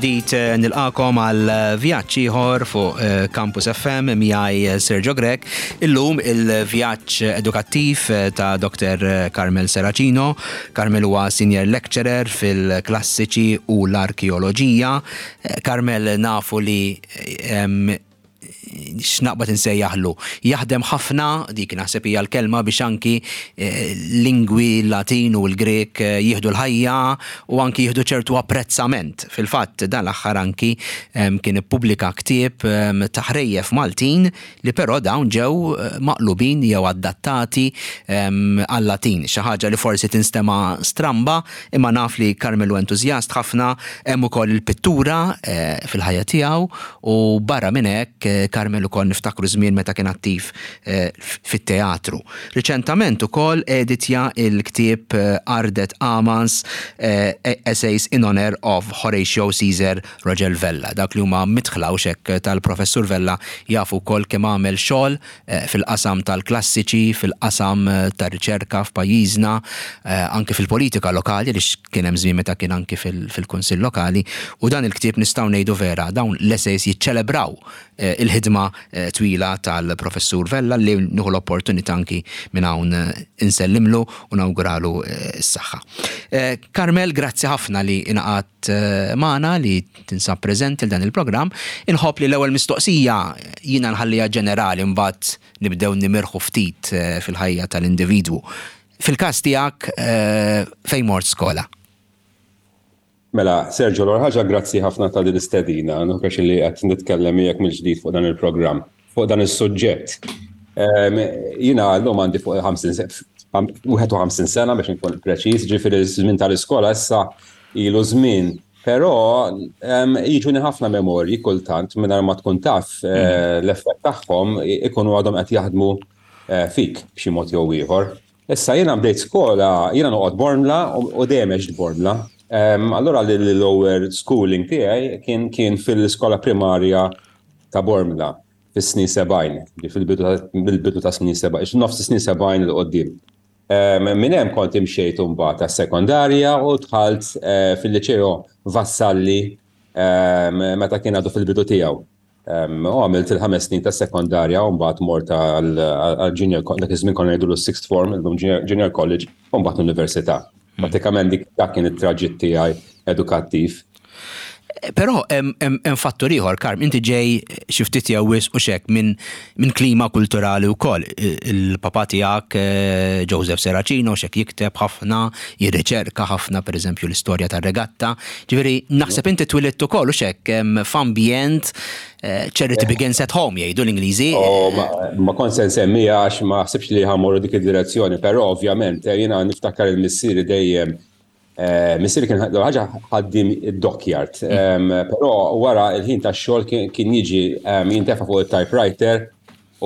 Mill-ġdid eh, nilqakom għal vjaġġ ieħor fuq eh, Campus FM miegħi Sergio Grech. Illum il-vjaġġ edukattiv eh, ta' Dr. Carmel Serracino. Carmel huwa senior lecturer fil-klassiċi u l-arkeoloġija. Carmel nafu li x'naqbad insejjaħlu. Jaħdem ħafna, dik naħseb hija l-kelma biex anki eh, lingwi Latin u l-Grek eh, jieħdu l-ħajja u anki jieħdu ċertu apprezzament. Fil-fatt dan l-aħħar anki kien ippubblika ktieb ta' ħrejjef Maltin li però dawn ġew eh, maqlubin jew adattati għal-Latin. Xi ħaġa li forsi tinstema' stramba, imma naf li Carmelo entużjast ħafna, hemm ukoll il-pittura fil-ħajja tiegħu U barra minn hekk, Carmel ukoll niftakru żmien meta kien attiv fit-teatru. Riċentament ukoll editja l-ktieb Ardet Amans, Essays in Honour of Horatio Caesar Rogel Vella. Dawk li huma midħla hux hekk tal-Professur Vella jafu wkoll kemm għamel xogħol fil-qasam tal-klassiċi, fil-qasam tar-riċerka f'pajjiżna, anki fil-politika lokali għaliex kien hemm żmien meta kien anki fil-Kunsill Lokali u dan il-ktieb nistgħu ngħidu vera dawn l-essays jiċċelebraw il-ħidma twila tal-Professur Vella li nieħu l-opportunità anki minn hawn insellimlu u nawguralu s-saħħa. Carmel, grazzi ħafna li ingħaqadt magħna li tinsab preżenti l dan il-programm. Inħobb li l-ewwel mistoqsija jiena nħalliha ġenerali mbagħad nibdew nimirħu ftit eh, fil-ħajja tal-individwu. Fil-każ tiegħek eh, fejn mort skola? Mela, Sergio, l ħaġa grazzi ħafna ta' din l-istedina, nħokex li qed nitkellem miegħek mill-ġdid fuq dan il-programm, fuq dan is-suġġett. Ehm, jiena llum għandi fuq 51 sena biex nkun preċiż, ġifieri żmien tal-iskola issa ilu żmien Però jiġuni ħafna memorji kultant mingħajr ma tkun taf eh, mm. l-effett tagħhom ikunu għadhom qed jaħdmu eh, fik b'xi mod jew ieħor. Issa jiena bdejt skola, jiena noqgħod Bormla u dejjem għext Bormla. Allura l-lower schooling tiegħi kien kien fil-iskola primarja ta' Bormla fis-snin 70, fil-bidu ta' snin 70, nofs snin 70 l-qoddim. Minn hemm kont imxejt imbagħad għas-sekondarja u dħalt eh, fil-Liċeo Vassalli meta kien għadu fil-bidu tiegħu. U għamilt il-ħames snin ta' sekondarja u mbagħad mort għal junior dak iż-żmien konna ngħidulu sixth form, illum junior college, u mbagħad l-università. Pratikament dik dak kien it-traġitt tiegħi edukattiv. Però hemm fattur ieħor, Karm, inti ġej xi ftit jew wisq u xek minn min klima kulturali wkoll. Il-papa tiegħek eh, Joseph Serracino xek jikteb ħafna, jirriċerka ħafna pereżempju l-istorja tar-regatta. Ġifieri naħseb inti twilidt ukoll u xek f'ambjent eh, charity begins at home jgħidu l-Ingliżi. Oh, ma kont se nsemmija għax ma ħsibx li ħa mmorru dik id-direzzjoni, però ovvjament eh, jiena niftakar il-missieri dejjem Eh, missieri kien ħaġa ħaddim id-dockyard, mm. però wara il-ħin tax-xogħol kien jiġi jintefa' fuq il-typewriter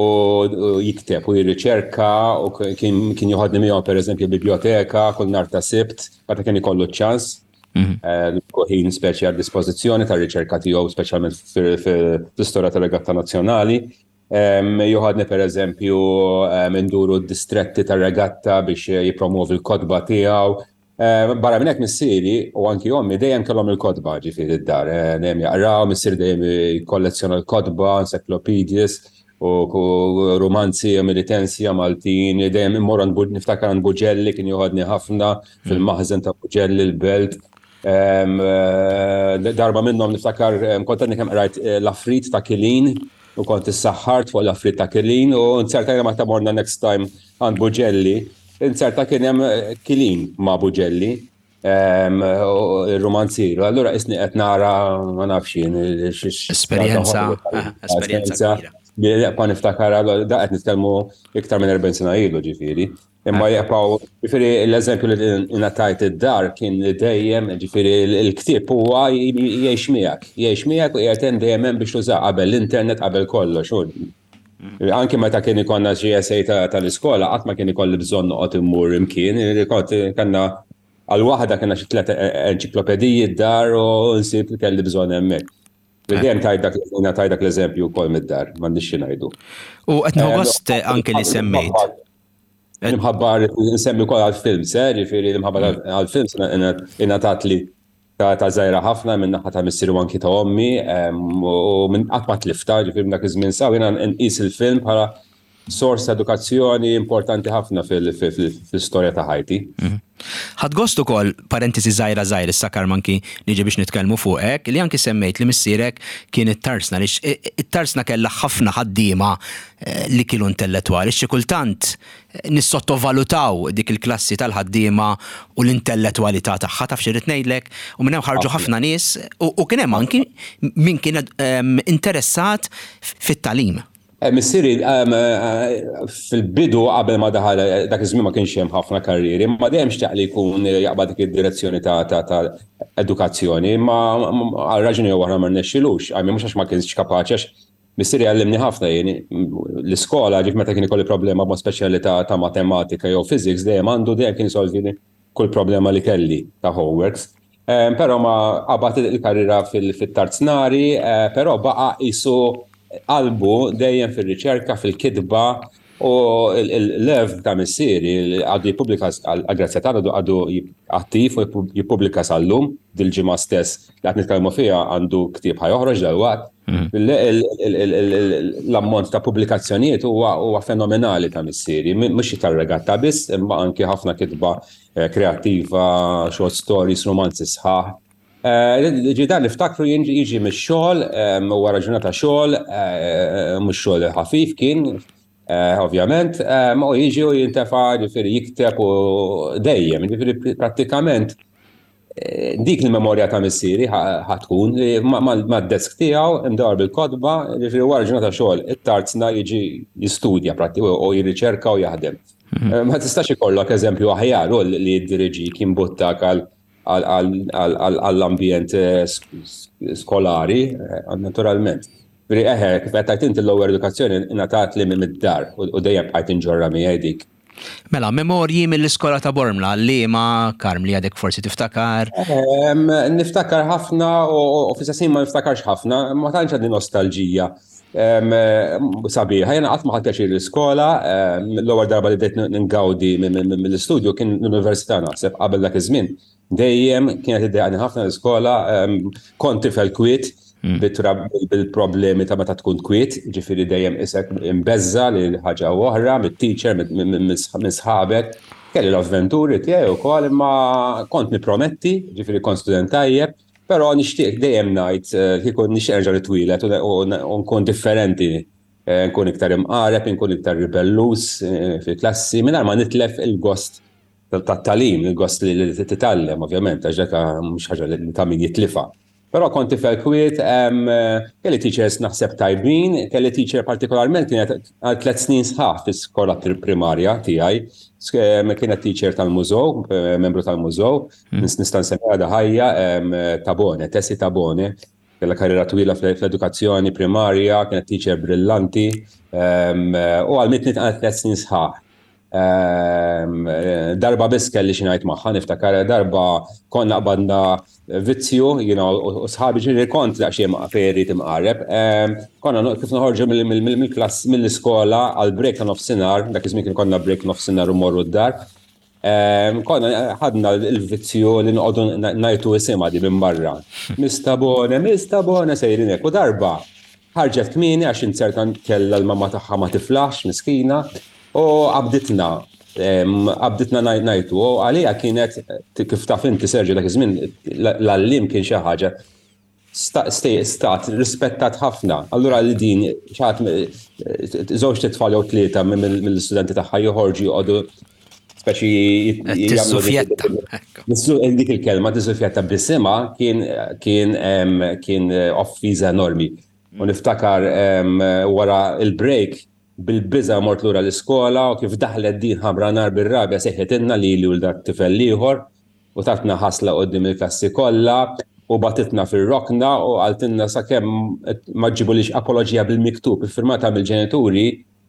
u jikteb u jirriċerka u kien joħodni miegħu pereżempju biblioteka kull nhar ta' Sibt meta kien ikollu ċ-ċans. Mm. Eh, ħin speċi għad dispożizzjoni tar-riċerka tiegħu speċjalment fl-istorja tal-regatta nazzjonali. Joħodni per eżempju induru d-distretti tar-regatta biex jipromuovi l-kotba tiegħu. Barra minn hekk missieri u anki ommi dejjem kellhom il-kotba ġifieri d-dar, eh, dejjem jaqraw, missieri dejjem jikkollezzjona l-kotba, encyclopedias u romanzi militensja Maltin, dejjem immur niftakar għand Buġelli kien joħodni ħafna fil-maħżen ta' Buġelli l-belt. Eh, darba minnhom niftakar kont għadni kemm qrajt eh, l-Afrit ta' Kilin u kont issaħħart fuq l-Afrit ta' Kilin u nzerta ma ta' morna next time għand Buġelli, nzerta kien hemm eh, Kilin ma' Buġelli il-romanzier. Allura isni qed nara ma nafx jien esperjenza esperjenza. Pa niftakar da qed nitkellmu iktar minn 40 sena ilu ġifieri. Imma jibqgħu, ġifieri l-eżempju li ngħatajt id-dar kien li dejjem, ġifieri l-ktieb huwa jgħix miegħek, jgħix miegħek u qiegħed hemm dejjem hemm biex tużah qabel l-internet qabel kollox. Anki meta kien ikollna xi essay tal-iskola, qatt ma kien ikolli bżonn noqgħod immur imkien, kont kellna għal waħda kellna xi tliet enċiklopediji d-dar u nsib li kelli bżonn hemmhekk. Dejjem tajt dak tajt dak l-eżempju wkoll mid-dar, m'għandix xi ngħidu. U qed nieħu gost anke li semmejt. L-imħabba nsemmi wkoll għall-films, eh, ġifieri l-imħabba mm. għall-films ingħatat li ta' żgħira ħafna minn naħa ta' missieri u anki ta' ommi u minn qatt ma tliftha, ġifieri minn dak iż-żmien saw jiena nqis il-film bħala sors ta' edukazzjoni importanti ħafna fil-istorja ta' ħajti. Mhm. Ħadt gost ukoll, parentesi żgħira żgħir issa Karm anki niġi biex nitkellmu fuqek, li anki semmejt li missierek kien it-tarsna li it-tarsna kellha ħafna ħaddiema eh, li kienu intellettwali, xi kultant eh, nissottovalutaw dik il-klassi tal-ħaddiema u l-intellettwalità tagħha taf xi ngħidlek u minn hemm ħarġu ħafna nies u kien hemm anki min kien ehm, interessat fit-tagħlim. Eh, missieri ehm, eh, fil-bidu qabel ma daħal eh, dak iż-żmien ma kienx hemm ħafna karrieri, ma dejjem xtaq li jkun jaqbad dik id-direzzjoni ta' edukazzjoni, ma għal raġuni jew oħra ma rnexxilux, għajmi mhux għax ma kienx kapaċi għax missieri għallimni ħafna jien l-iskola ġif meta kien ikolli problema b'mod speċjali ta' matematika jew physics dejjem għandu dejjem kien isolvi kull problema li kelli ta' homeworks. Ehm, però ma qabad il-karriera fit-tarznari, eh, però baqa' qisu qalbu dejjem fir-riċerka, fil-kitba u l-lev ta' missieri għadu jippubblika għal-grazzja ta' għadu attiv u jippubblika sal-lum dil-ġimgħa stess li qed nitkellmu fiha għandu ktieb ħa joħroġ dalwaqt. Mm. L-ammont ta' pubblikazzjonijiet huwa fenomenali ta' missieri, mhux tar-regatta biss, imma anki ħafna kitba Eh, kreattiva, short stories, romanzi sħaħ. Eh, ġi dan niftakru jiġi mix-xogħol, eh, wara ġurnata xogħol, mhux xogħol ħafif kien, ovvjament, u jiġi u jintefa' ġifieri jikteb u dejjem, ġifieri prattikament dik il-memorja ta' missieri ħatkun li mad-desk tiegħu imdawar bil-kotba, ġifieri wara ġurnata xogħol, it-tarzna jiġi jistudja pratti u jirriċerka u jaħdem. Mhm. Eh, ma tistax ikollok eżempju aħjar u li jiddiriġik jimbuttak għall-ambjent eh, skolari, eh, naturalment. Veri eħe, kif qed tgħid inti l-ewwel edukazzjoni ingħatat li mid-dar u dejjem bqajt inġorra miegħi dik. Mela, memorji mill-iskola ta' Bormla, li ma Karm li għadek forsi tiftakar? Niftakar ħafna u fl-istess ma niftakarx ħafna, ma tantx għandi nostalġija sabiħa. Jena qatt ma ħadt pjaċir l-iskola, l-ewwel darba li bdejt ngawdi mill-istudju kien l-università naħseb qabel dak iż-żmien. Dejjem kienet iddejjaqni ħafna l-iskola, kont tifel kwiet, hmm. bil-problemi ta' meta tkun kwiet, ġifieri dejjem isek imbeżza li ħaġa oħra, mit-teacher, minn sħabek. Kelli l-avventuri tiegħi wkoll imma kont niprometti, ġifieri kont student tajjeb, Però nixtieq dejjem ngħid eh, kieku nixtieq nerġa' nitwielet u nkun differenti, eh, nkun iktar imqareb, nkun iktar ribellus eh, fil-klassi, mingħajr ma nitlef il-gost tat-talim, il-gost li titgħallem ovvjament, għax dak mhux ħaġa li ta' min jitlifa. Però kont tifel kwiet, kelli teachers naħseb tajbin, kelli teacher partikolarment kienet għal tlet snin sħaħ fis-skola primarja tiegħi, kienet teacher tal-mużew, membru tal-mużew, hmm. Nista' nsemmi għadha ħajja Tabone, Tessi Tabone, kellha karriera twila fl-edukazzjoni primarja, kienet teacher brillanti u għalmitni għal tliet snin sħaħ. Darba biss kelli xi ngħid magħha, niftakar darba konna qbadna vizzju, jiena u sħabi ġieli kont daqsxejn fejn irrid imqareb. Konna kif noħorġu mill-klass mill-iskola għal break ta' nofsinhar, dak iż-żmien kien konna break nofsinhar u morru d-dar. Ehm, konna ħadna l-vizzju li noqogħdu ngħidu isimha di minn barra. Mista Bone, Mista Bone sejrin hekk. U darba ħarġet kmieni għax inzerta kellha l-mamma tagħha ma tiflaħx miskina u qabditna ehm, qabditna ngħidu u għalija kienet kif taf inti Serġi dak iż-żmien l-għallim kien xi ħaġa stat rispettat ħafna. Allura li din ċat żewġ titfal jew tlieta mill-istudenti tagħha joħorġu joqogħdu speċi jagħmlu dik il-kelma tiżufjetta bisimha kien kien kien offiża enormi. U niftakar wara il-break bil-biża mort lura l-iskola u kif daħlet din ħamra nar bir-rabja seħħetilna lili u l-dak tifel l-ieħor u tatna ħasla quddiem il-klassi kollha u bagħtitna fir-rokna u qaltilna sakemm ma ġġibulix apoloġija bil-miktub iffirmata mill-ġenituri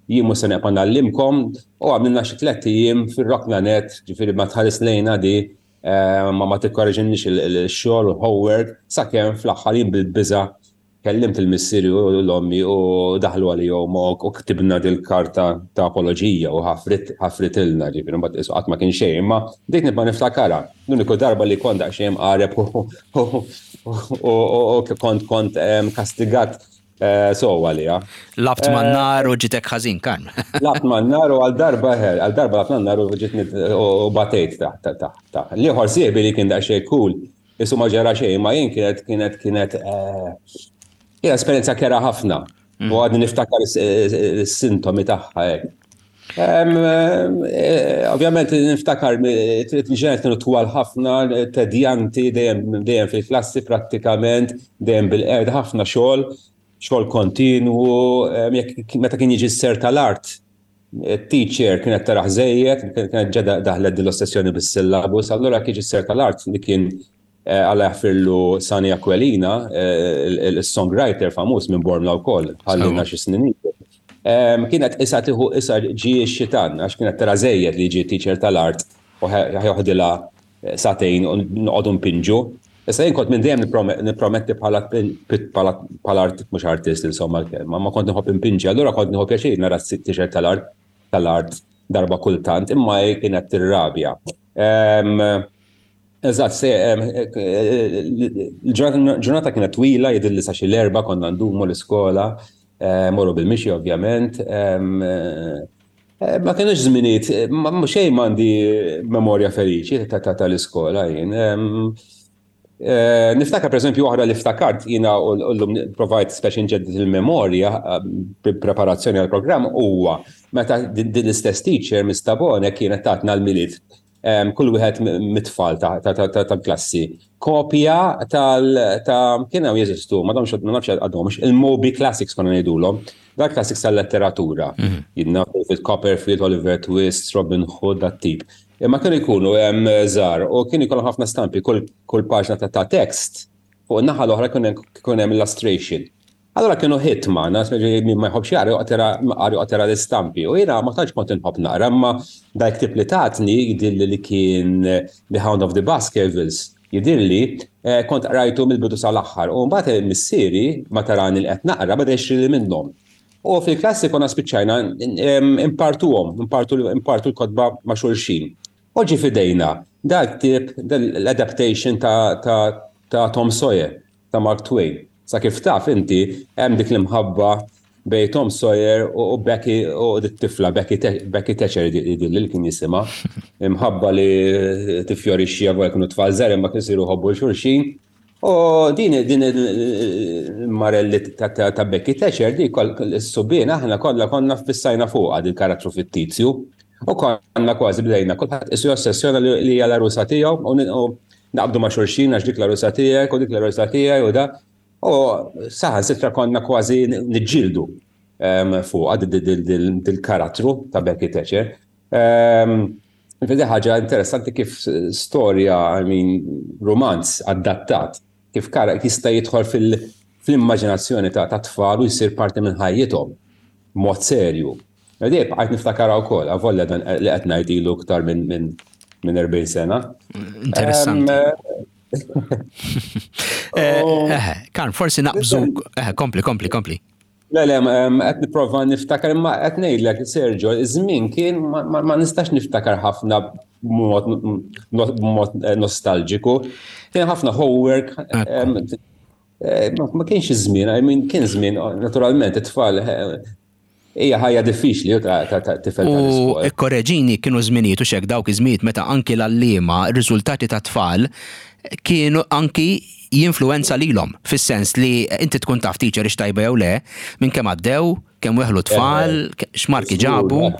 jien mhux se neqpa' ngħallimkom u għamlilna xi tlett ijiem fir-rokna nett, ġifieri ma tħares lejna di eh, ma ma tikkoreġinniex il-xogħol u l-homework sakemm fl-aħħar jien bil-biża' Kellimt il-missieri u l-ommi u daħlu għalihom u ktibna dil-karta ta' apoloġija u ħafritilna, ġifieri mbagħad qisu qatt ma kien xejn, imma bdejt nibqa' niftakarha. L-uniku darba li kont daqsxejn mqareb u kont kont kastigat sew għaliha. Labt man-nar u ġitek ħażin, Karm. Labt man-nar u għal darba għal darba labt man-nar u ġitni u batejt taħt taħt. L-ieħor sieħbi li kien daqsxejn cool Isu ma ġara xejn, ma jien kienet kienet kienet eh, hija esperjenza kera ħafna. Mm. U għadni niftakar is-sintomi tagħha hekk. Eh, ovvjament niftakar il-ġenet kienu twal ħafna, tedjanti, dejjem dejjem fil-klassi prattikament, dejjem bil-qed ħafna xogħol, xogħol kontinwu, jekk meta kien jiġi s-ser tal-art, Teacher kienet taraħ żejjed, kienet ġa daħlet din l-ossessjoni bis-syllabus, allura kien s-ser tal-art li kien eh, Alla jaħfirlu Sani Aquilina, eh, il-songwriter famuż minn Bormla wkoll, ħallina xi snin ilu. Kienet isa tieħu isa ġie x-xitan, għax kienet tara żejjed li ġie teacher tal-art u ħjoħdilha sagħtejn u noqogħdu npinġu. Issa jien kont minn dejjem nipprometti bħala bħala mhux artist insomma l-kelma, ma kont nħobb inpinġi, allura kont nieħu pjaċir nara t-t-shirt tal-art tal-art darba kultant, imma hi kienet tirrabja. Eżatt, il-ġurnata kienet twila, jidhirli sa xi l-erba' konna ndumu l-iskola, morru bil-mixi ovvjament. Eh, ma kienux żminijiet, eh, xejn m'għandi memorja feliċi tal-iskola jien. Eh, niftakar pereżempju oħra li ftakart jiena u llum provajt speċi nġedded il-memorja preparazzjoni għall-programm huwa meta din l-istess teacher Miss Tabone kienet tatna l-milied kull wieħed mit-tfal tal-klassi. Kopja tal ta' kien hawn jeżistu, ma domx ma nafx għadhomx, il-Moby Classics konna ngħidulhom. Dak classics tal-letteratura. Mhm. Jidna David Copperfield, Oliver Twist, Robin Hood, dat tip. Imma kienu jkunu hemm żgħar u kienu jkollhom ħafna stampi kull paġna ta' tekst fuq in-naħa l-oħra kien hemm illustration. Allura kienu hit magħna, min ma jħobbx jaqra joqgħod jara l-istampi. U jiena ma tantx kont inħobb naqra, imma dak ktieb li tatni jidhirli li kien The Hound of the Baskervilles, jidhirli eh, kont qrajtu mill-bidu sal-aħħar. U mbagħad missieri ma tarani li qed naqra beda jixtrili minnhom. U fil-klassi konna spiċċajna impartuhom, impartu l-kotba ma' xulxin. U ġie f'idejna dal-ktieb, l-adaptation ta' Tom Sawyer. ta' Mark Twain. Sa kif taf inti, hemm dik l-imħabba bejn Tom Sawyer u Becky u dit-tifla Becky Becky Thatcher jidhirli li kien jisimha. Imħabba li tiffjorixxi avolja kienu tfal żgħar imma kienu jsiru jħobbu 'l xulxin. U din din il-marelli ta' Becky Thatcher di is-subien aħna kollha konna ffissajna fuqha dil-karattru fittizju. U konna kważi bdejna kulħadd isu jossessjona li hija l-għarusa tiegħu u naqbdu ma' xulxin għax dik l-għarusa tiegħek u dik l-għarusa tiegħi u da. U saħansitra konna kważi niġġieldu ehm, fuqha dil-karattru ta' Becky Thatcher. Ehm, Vedi ħaġa interessanti kif storja, I mean, romanz adattat, kif kara jista' jidħol fil-immaġinazzjoni ta' tfal u jsir parti minn ħajjithom mod serju. Edi, bqajt niftakarha wkoll, avolja dan li qed ngħid ilu iktar minn minn 40 sena. Interessanti. Eh, eh, Karm, forsi naqbżu, eh, kompli, kompli, kompli. Le, le, qed nipprova niftakar imma qed ngħidlek Sergio, iż-żmien kien ma nistax niftakar ħafna b'mod nostalġiku. Kien ħafna homework, ma kienx iż-żmien, I mean kien żmien naturalment it-tfal Hija ħajja diffiċli ta' tifel tal-iskola. U ikkoreġini kienu żminijiet u xek dawk iż-żminijiet meta anki l-għalliema, r-riżultati tat-tfal kienu anki jinfluwenza lilhom, fis-sens li inti tkun taf teacher hix tajba jew le, minn kemm għaddew, kemm weħlu t-tfal, x'marki ġabu.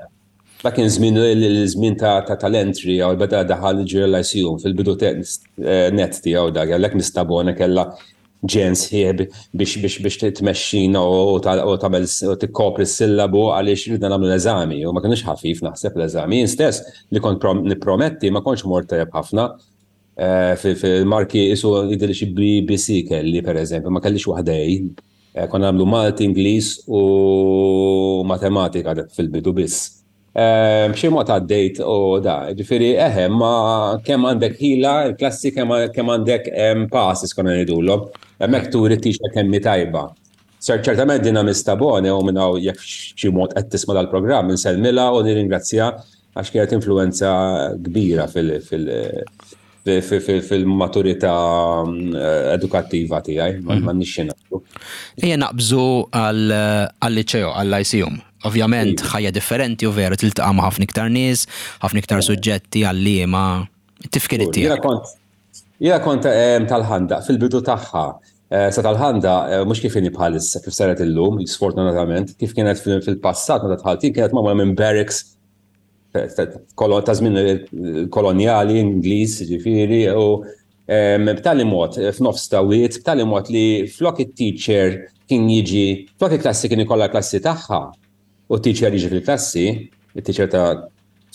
Dak kien żmien l-żmien tal-entry jew beda daħal il-Lyceum fil-bidu net tiegħu dak, għalhekk Miss Tabone kellha ġen sħiħ biex biex biex tmexxina u tagħmel u tikkopri s-sillabu għaliex ridna nagħmlu l-eżami u ma kienx ħafif naħseb l-eżami. Jien stess li kont nipprometti ma kontx mort tajjeb ħafna eh, fil-marki isu jidhirli xi BBC kelli pereżempju, ma kellix waħda A. Eh, konna nagħmlu Malti, Ingliż u matematika fil-bidu biss. Ehm, b'xi mod għaddejt u da, ġifieri eħe, ma kemm għandek ħila, il-klassi kemm għandek ehm, passes konna ngħidulhom. Hemmhekk turi t-teacher kemm hi tajba. Ċertament dina Miss Tabone u minn hawn jekk xi mod qed tisma' dal-programm insellmilha u nirringrazzja għax kienet influenza kbira fil-maturità eh, edukattiva tiegħi, ma mhm. nixxi ngħidu. Ejja naqbżu għal-liċeo, għall-ICUM. Ovvjament iva. ħajja differenti u veru tiltaqa' ma' ħafna iktar nies, ħafna iktar suġġetti għalliema. Tifkir tiegħek. Jiena kont tal-Ħandaq fil-bidu tagħha. Sa tal-Ħandaq mhux kif inhi bħalissa, kif saret illum, sfortunatament, kif kienet fil-passat meta dħalt jien kienet magħmula minn barracks ta' żmien kolonjali Ingliż, ġifieri, u b'tali mod f'nofs ta' wied, b'tali mod li flok it-teacher kien jiġi, flok il-klassi kien ikollha klassi tagħha u t-teacher jiġi fil-klassi, it-teacher ta'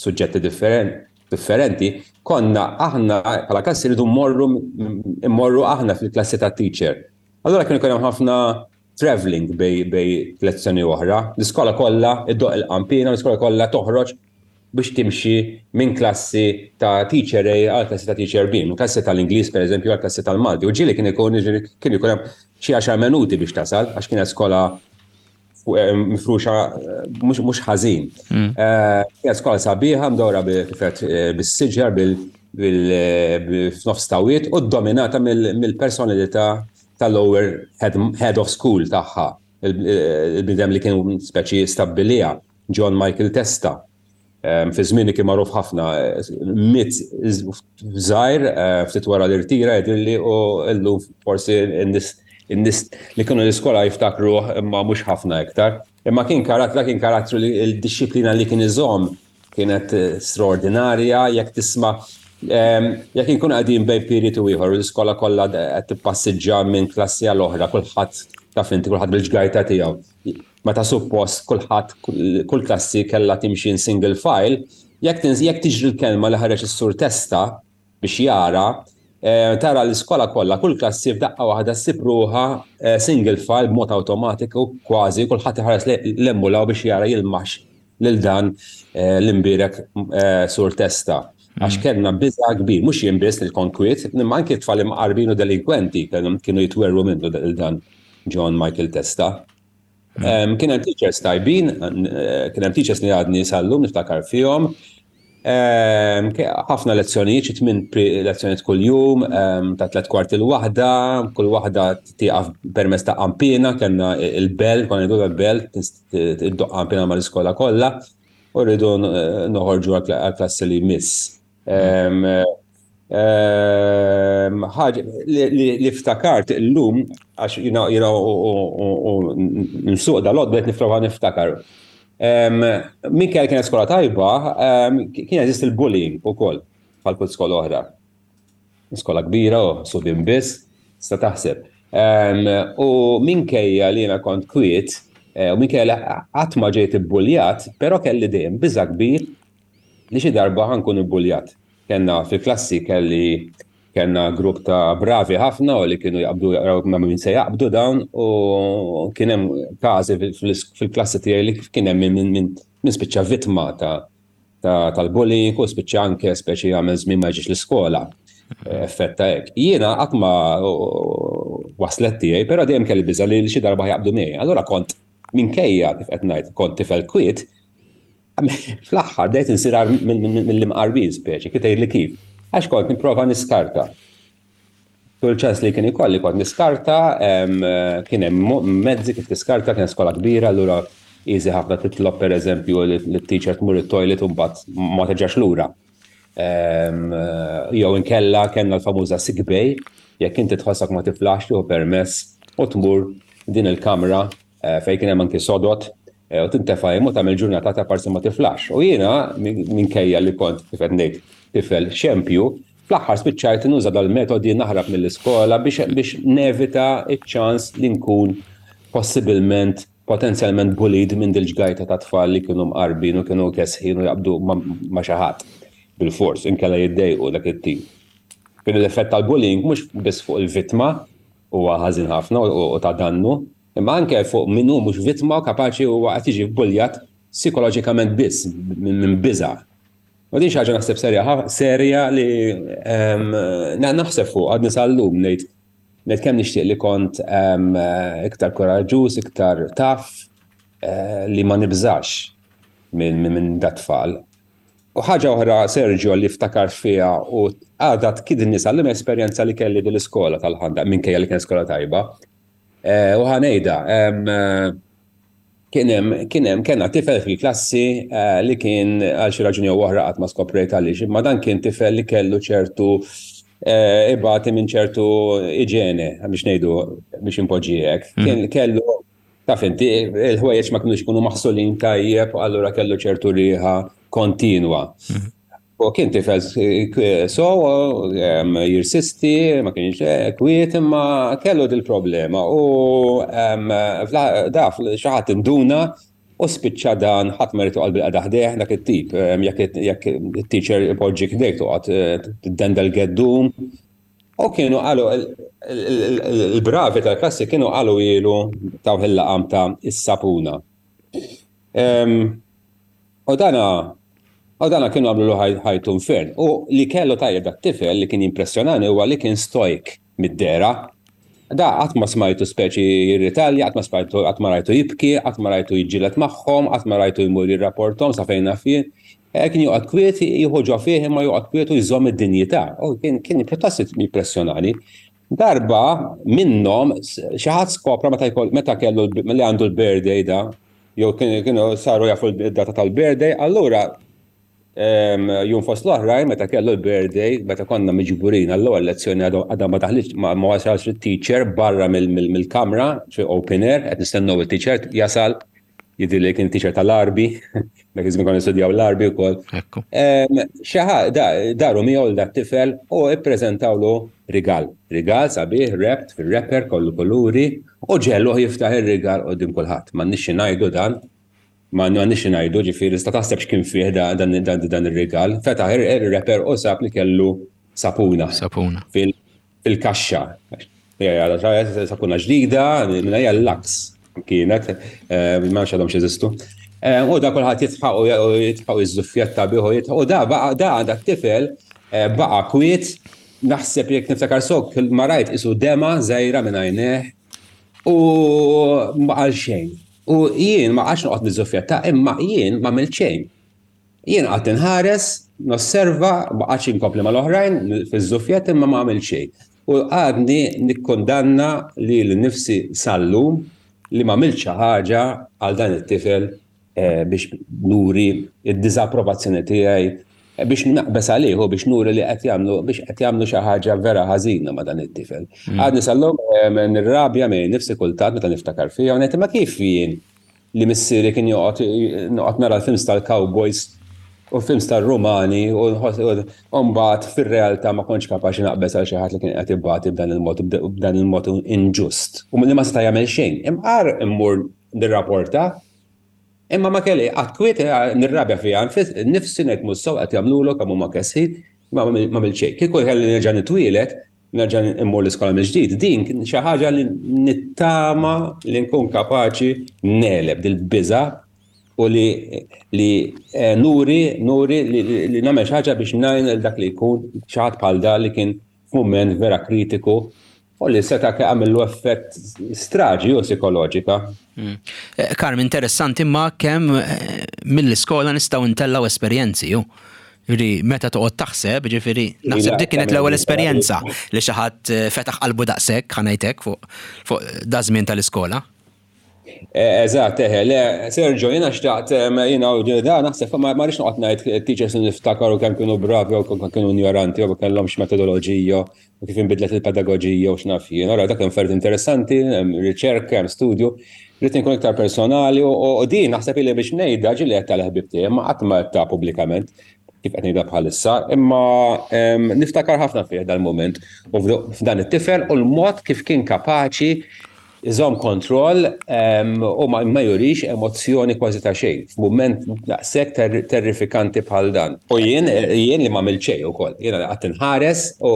suġġetti differenti, konna aħna bħala klassi rridu mmorru mmorru aħna fil-klassi tat-teacher. Allura kien ikun hemm ħafna traveling bej bej lezzjoni oħra. L-iskola kollha iddoq il-qampina, l-iskola kollha toħroġ biex timxi minn klassi ta' teacher A għal klassi ta' teacher B, minn klassi tal-Ingliż pereżempju għal klassi tal-Malti. U ġieli kien ikun kien ikun hemm xi għaxar minuti biex tasal għax kienet skola Eh, mifruxa eh, mhux ħażin. Mm. Eh, kienet skola sabiħa mdawra bis-siġar bil-f'nofs tawiet u dominata mill-personalità tal-lower head of school tagħha, il-bidem li kien speċi stabbilija, John Michael Testa. Fi żmieni kien magħruf ħafna, miet żgħir ftit wara l-irtira jidhirli u llum forsi n-nies li kienu l-iskola jiftakruh imma mhux ħafna iktar. Imma kien karattru, kien karattru li l-dixxiplina li kien iżomm kienet straordinarja, jekk tisma' jekk inkun qegħdin bejn period u ieħor u l-iskola kollha qed tippassiġġa minn klassi għal oħra, kulħadd taf inti kulħadd bil-ġgajta tiegħu. Meta suppost kulħadd kull klassi kellha timxi in single file, jekk jekk tiġri l-kelma li ħareġ is-sur Testa biex jara, eh, tara l-iskola kollha, kull klassi f'daqqa waħda ssib ruħha eh, single file b'mod awtomatiku kważi kulħadd iħares l-emmulaw biex jara jilmax lil dan eh, l-imbierek sur Testa. Għax mm. kellna biża kbir, mhux jien biss il-konkwiet, imma anki tfal imqarbin u delinkwenti kienu jitwerru minnu dan John Michael Testa. Mm. Kien hemm teachers tajbin, eh, kien hemm teachers li għadni sallum niftakar fihom. Ħafna lezzjonijiet, xi tmien lezzjonijiet kuljum, ta' tliet kwarti l-waħda, kull waħda tieqaf permezz ta' qampina, kellna il-bell, konna ngħidu l-bell, iddoq qampina mal-iskola kollha, u rridu noħorġu għall-klassi li jmiss. Ħaġa li ftakart illum, għax jina u nsuq dal-għod bdejt nifrova niftakar. Minkejja kienet skola tajba, kien jeżisti l-bullying ukoll bħal kull skola oħra. Skola kbira u subien biss, sta taħseb. U minkejja li jiena kont kwiet, eh, u minkejja li qatt ma ġejt ibbuljat, però kelli dejjem biża' kbir li xi darba ħa nkun ibbuljat. Kellna fil-klassi kelli kellna grupp ta' bravi ħafna u li kienu jaqbdu jaqraw ma' min se jaqbdu dawn u kien hemm każi fil-klassi tiegħi li kien hemm min min spiċċa vittma ta' tal-bullying u spiċċa anke speċi jagħmel żmien ma jiġix l-iskola. Effett ta' hekk. Jiena qatt ma waslet tiegħi, però dejjem kelli biża' li xi darba jaqbdu miegħi. Allura kont minkejja kif qed ngħid kont tifel kwiet, Fl-aħħar bdejt insir mill-imqarbin speċi, kif tgħidli kif. Għax kont nipprova niskarta. Kull ċans li kien ikolli kont niskarta, kien hemm mezzi kif tiskarta, kien skola kbira, allura easy ħafna titlob pereżempju li t-teacher tmur it-toilet u mbagħad ma terġax lura. Jew inkella kellna l-famuża sick bay, jekk inti tħossok ma tiflaħx tieħu permess u tmur din il-kamra eh, fejn kien hemm anki sodot eh, u tintefa' hemm u tagħmel ġurnata ta' parsi ma tiflax. U jiena minkejja li kont kif qed ngħid tifel xempju, fl-aħħar spiċċajt nuża dal-metodi naħrab mill-iskola biex biex nevita ċ-ċans li nkun possibilment potenzjalment bullied minn dil-ġgajta ta' tfal li kienu mqarbin u kienu kesħin u jaqbdu ma' xi ħadd bil-fors, inkella jiddejqu dak it-tip. Kien l-effett tal-bullying mhux biss fuq il-vittma huwa ħażin ħafna u ta' dannu, imma anke fuq min hu mhux vittma u kapaċi huwa qed jiġi bbuljat psikoloġikament biss minn biża'. U din xi ħaġa naħseb serja serja li ehm, naħseb fuq għadni sal-lum ngħid. Ngħid kemm nixtieq li kont iktar kuraġġuż, iktar taf eh, li ma nibżax minn dat-tfal. U ħaġa oħra, Sergio, li ftakar fiha u għadha tkidni sal-lum esperjenza li kelli dil-iskola tal-ħanda, minkejja li kien skola tajba. Eh, u ħa ngħidha, kien hemm kien hemm kellna tifel fil-klassi eh, li kien għal xi raġuni jew oħra qatt ma skoprejt għaliex, imma dan kien tifel li kellu ċertu eh, ibati minn ċertu iġene, biex ngħidu biex impoġġi hekk. Mhm. Kien kellu taf inti il-ħwejjeġ ma kinux ikunu maħsulin tajjeb, allura kellu ċertu riħa kontinwa. Mhm. U kien tifel so jirsisti, ma kienx eh, kwiet, imma kellu dil-problema. U daf xi ħadd induna u spiċċa dan ħadd ma jrid joqgħod bil-qagħda ħdejh dak it-tip. Jekk it-teacher ipoġġik ħdejk toqgħod eh, tiddendel geddum. U kienu qalu il-bravi tal-klassi kienu qalu ilu tawh il-laqam ta' is-sapuna. U dana u dana kienu għamlulu ħajtu infern. U li kellu tajjeb dat tifel li kien jimpressjonani huwa li kien stoik mid-dehra. Da qatt ma smajtu speċi jirritalja, qatt ma smajtu qatt ma rajtu jibki, qatt ma rajtu jiġġieled magħhom, qatt ma rajtu jmur jirrapporthom sa fejn naf jien. Eh, kien joqgħod kwiet, jieħu ġo fih imma joqgħod kwiet u jżomm id-dinjità. U kien kien pjuttost jimpressjonani. Darba minnhom xi ħadd skopra meta meta kellu li għandu l-birthday da, jew kienu saru jafu d-data tal-birthday, allura jum fost l-oħrajn meta kellu l-birthday, meta konna miġburin għall-ewwel lezzjoni għadha ma daħlitx ma wasalx it-teacher barra mill-kamra, fi open air, qed nistennew it-teacher jasal, jidhirli li kien teacher tal-Għarbi, dak iż-żmien konna nistudjaw l-Għarbi wkoll. Xi daru miegħu lil dat-tifel u ppreżentawlu rigal. Rigal sabiħ, wrapped fir-wrapper kollu kuluri, U ġegħluh jiftaħ ir-rigal quddiem kulħadd. M'għandniex xi ngħidu dan, m'għandniex xi ngħidu, ġifieri tista' taħseb x'kien fih dan ir-rigal. Fetaħ ir-wrapper u sab li kellu sapuna. Sapuna. Fil-kaxxa. Sapuna ġdida, minn hija l-Lux kienet, eh, ma nafx għadhom x'jeżistu. Eh, u da kulħadd jitħaq u jitħaq jiżżuffjetta bih u jitħaq u da baqa' da da tifel eh, baqa' kwiet Naħseb jekk niftakar sew ma rajt isu dema żgħira minn għajnejh u ma qal xejn. U jien ma qgħadx noqgħod niżżuffjetta imma jien ma għamilt xejn. Jien qgħadt inħares, nosserva, ma qgħadx inkompli mal-oħrajn fiż-żuffjett imma ma għamilt xejn. U għadni nikkundanna lili nnifsi sal-lum li ma għamilt xi ħaġa għal dan it-tifel eh, biex nuri id-diżapprovazzjoni tiegħi eh, biex naqbeż għalih u biex nuri li qed jagħmlu biex qed jagħmlu xi ħaġa vera ħażina ma' dan it-tifel. Mm. Għadni sal-lum eh, nirrabja minn nifsi kultant meta niftakar fiha u ngħid ma kif jien li missieri kien joqgħod noqgħod nara l-films tal-cowboys u films tal-Rumani u mbagħad fir-realtà ma kontx kapaċi naqbeż għal xi ħadd li kien qed ibati b'dan il-mod b'dan il-mod inġust u li ma seta' jagħmel xejn. Imqar immur nirrapporta, imma ma kelli qatt kwiet eh, nirrabja fiha nifsi ngħid mhux sew qed jagħmlulu kemm huma kesħin, ma għamilt xejn. Kieku kelli nerġa' nitwielet, nerġa' immur l-iskola mill-ġdid, din xi ħaġa li nittama li nkun kapaċi negħleb dil-biża' u li li eh, nuri nuri li, li nagħmel xi ħaġa biex ngħin lil dak li jkun xi ħadd bħal da li kien f'mument vera kritiku u li seta' għamillu effett straġi u psikoloġika. Mm. Eh, Karm, interessanti imma kemm eh, mill-iskola nistgħu ntellgħu esperjenzi ju. Ġifieri meta toqgħod taħseb, ġifieri naħseb dik kienet l-ewwel esperjenza li xi ħadd eh, fetaħ qalbu daqshekk ħanajtek fuq fuq da żmien tal-iskola. Eh, eżatt, eħe, le, Sergio, jena xtaqt, jena u da, naħseb, ma rridx noqgħod ngħid teachers niftakar u kemm kienu bravi u kemm kienu ignoranti u kellhomx metodoloġija u kif inbidlet il-pedagoġija u x'naf jien. Ora dak hemm affarijiet interessanti, hemm riċerka, hemm studju, rrid inkun iktar personali u din naħseb li biex ngħidha ġieli qed tal-ħbieb tiegħi, ma qatt ma ta' pubblikament kif qed ngħidha bħalissa, imma niftakar ħafna fih dal-mument u f'dan it-tifel u l-mod kif kien kapaċi iżomm kontroll u ma jurix emozzjoni kważi ta' xejn f'mument daqshekk terrifikanti bħal dan. U jien jien li m'għamilt xejn ukoll. Jiena li qgħadt inħares u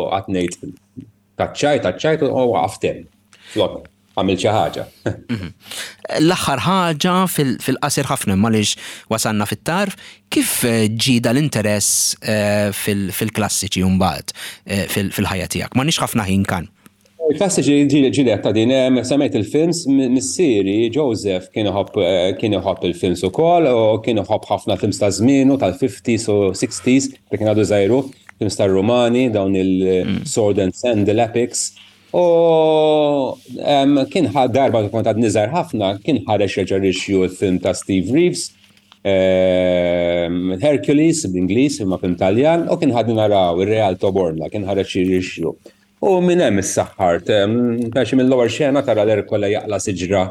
qgħadt ngħid taċ-ċajt, taċ-ċajt u waqaft hemm. Flok għamilt xi ħaġa. Mhm. L-aħħar ħaġa fil-qasir ħafna imma għaliex wasalna fit-tarf, kif ġie dal-interess eh, fil-klassiċi mbagħad eh, fil-ħajja tiegħek? M'għandniex ħafna ħin kan. Il-klassiċi ġili ta' din, semmejt il-films, missieri Joseph kien iħobb eh, kien iħobb il-films ukoll u kien iħobb ħafna films ta' żmienu tal-50s u 60s, dak kien għadu żgħiru, films tar-Rumani, dawn il-Sword and Sandal epics. U kien darba kont għad niżar ħafna, kien ħareġ reġa' rixju l-film ta' Steve Reeves, Hercules bl-Ingliż imma film Taljan, u kien ħadni naraw ir-Real Toborna, kien ħareġ rixju. U minn hemm issaħħart, għax mill-ewwel xena tara l-Erkole jaqla' siġra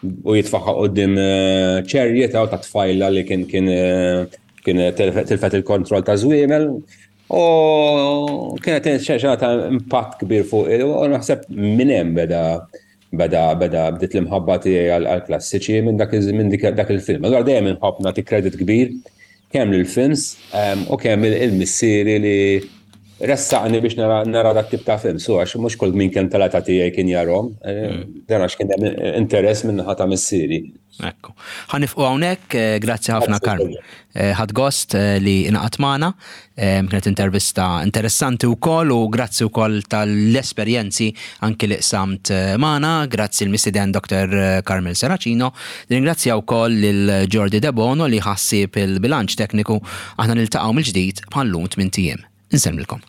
u jitfaħħa quddiem eh, ċerjeta u ta' tfajla li kien kien eh, kien tilfet il-kontroll ta' żwiemel. U kienet xena ta' impatt kbir fuq u naħseb minn hemm beda beda beda bdiet l-imħabba tiegħi għall-klassiċi minn dak minn dak il-film. Allura dejjem inħobb nagħti kredit kbir kemm lill-films ehm, u kemm il-missieri li ressaqni biex nara dak tip ta' film, so għax mhux kull min kemm tal-età tiegħi kien jarhom, eh, dan għax kien hemm interess minn naħa ta' missieri. Ekku. Ħa nifqu hawnhekk, eh, grazzi ħafna Karm. Eh, ħadt gost eh, li ingħaqadt magħna, kienet intervista interessanti wkoll u grazzi wkoll tal-esperjenzi anki li qsamt magħna, grazzi l-mistieden Dr. Carmel Serracino, nirringrazzja wkoll lil Jordi Debono li ħassib il-bilanċ tekniku, aħna niltaqgħu mill-ġdid bħal-lum tmint ijiem. Insellmilkom.